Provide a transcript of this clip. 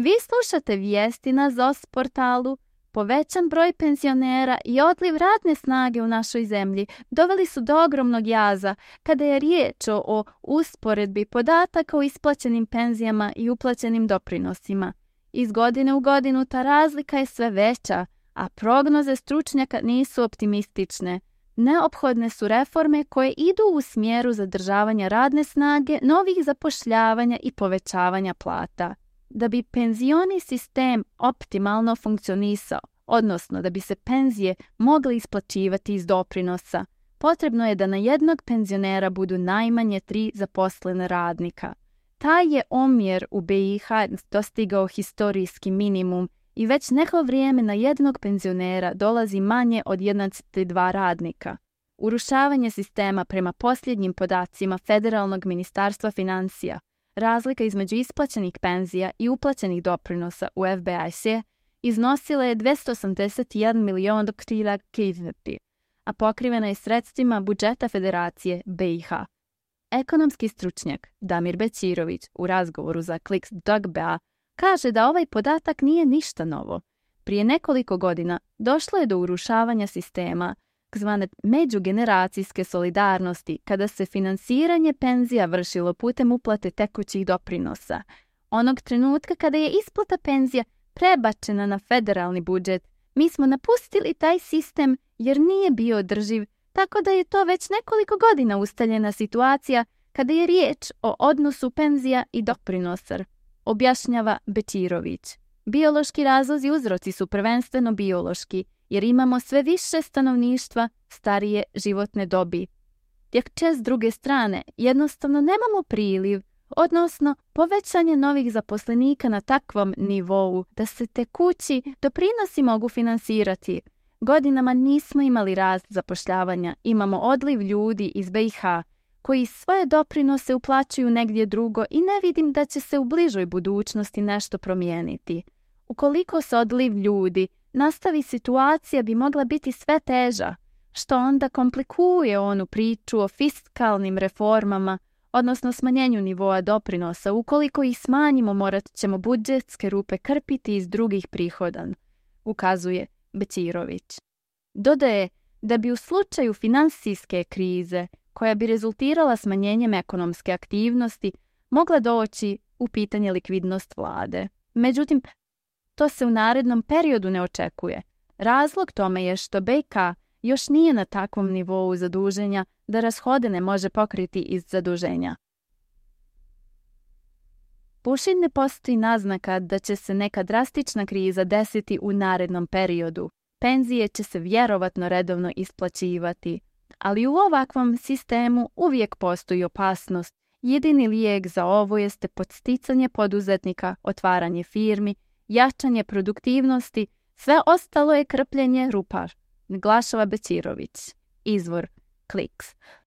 Vi slušate vijesti na ZOS portalu. Povećan broj penzionera i odliv radne snage u našoj zemlji doveli su do ogromnog jaza kada je riječ o usporedbi podataka o isplaćenim penzijama i uplaćenim doprinosima. Iz godine u godinu ta razlika je sve veća, a prognoze stručnjaka nisu optimistične. Neophodne su reforme koje idu u smjeru zadržavanja radne snage, novih zapošljavanja i povećavanja plata. Da bi penzioni sistem optimalno funkcionisao, odnosno da bi se penzije mogle isplaćivati iz doprinosa, potrebno je da na jednog penzionera budu najmanje 3 zaposlena radnika. Taj je omjer u BiH dostigao historijski minimum i već neko vrijeme na jednog penzionera dolazi manje od 1,2 radnika. Urušavanje sistema prema posljednjim podacima Federalnog ministarstva financija, razlika između isplaćenih penzija i uplaćenih doprinosa u FBIC iznosila je 281 milion krediti, a pokrivena je sredstvima budžeta Federacije BiH. Ekonomski stručnjak Damir Bećirović u razgovoru za Kliks.ba kaže da ovaj podatak nije ništa novo. Prije nekoliko godina došlo je do urušavanja sistema, zvane međugeneracijske solidarnosti, kada se finansiranje penzija vršilo putem uplate tekućih doprinosa. Onog trenutka kada je isplata penzija prebačena na federalni budžet, mi smo napustili taj sistem jer nije bio održiv, tako da je to već nekoliko godina ustaljena situacija kada je riječ o odnosu penzija i doprinosa, objašnjava Bećirović. Biološki razlozi i uzroci su prvenstveno biološki, jer imamo sve više stanovništva starije životne dobi. Dok s druge strane jednostavno nemamo priliv, odnosno povećanje novih zaposlenika na takvom nivou da se tekući doprinosi mogu finansirati. Godinama nismo imali rast zapošljavanja, imamo odliv ljudi iz BiH koji svoje doprinose uplaćuju negdje drugo i ne vidim da će se u bližoj budućnosti nešto promijeniti. Ukoliko se odliv ljudi nastavi, situacija bi mogla biti sve teža, što onda komplikuje onu priču o fiskalnim reformama, odnosno smanjenju nivoa doprinosa. Ukoliko ih smanjimo, morat ćemo budžetske rupe krpiti iz drugih prihoda, ukazuje Bećirović. Dodaje da bi u slučaju finansijske krize, koja bi rezultirala smanjenjem ekonomske aktivnosti, mogla doći u pitanje likvidnost vlade. Međutim, to se u narednom periodu ne očekuje. Razlog tome je što BiH još nije na takvom nivou zaduženja da rashode ne može pokriti iz zaduženja. Pušin ne postoji naznaka da će se neka drastična kriza desiti u narednom periodu. Penzije će se vjerovatno redovno isplaćivati, ali u ovakvom sistemu uvijek postoji opasnost. Jedini lijek za ovo jeste podsticanje poduzetnika, otvaranje firmi, jačanje produktivnosti, sve ostalo je krpljenje rupa, naglašava Bećirović. Izvor Kliks.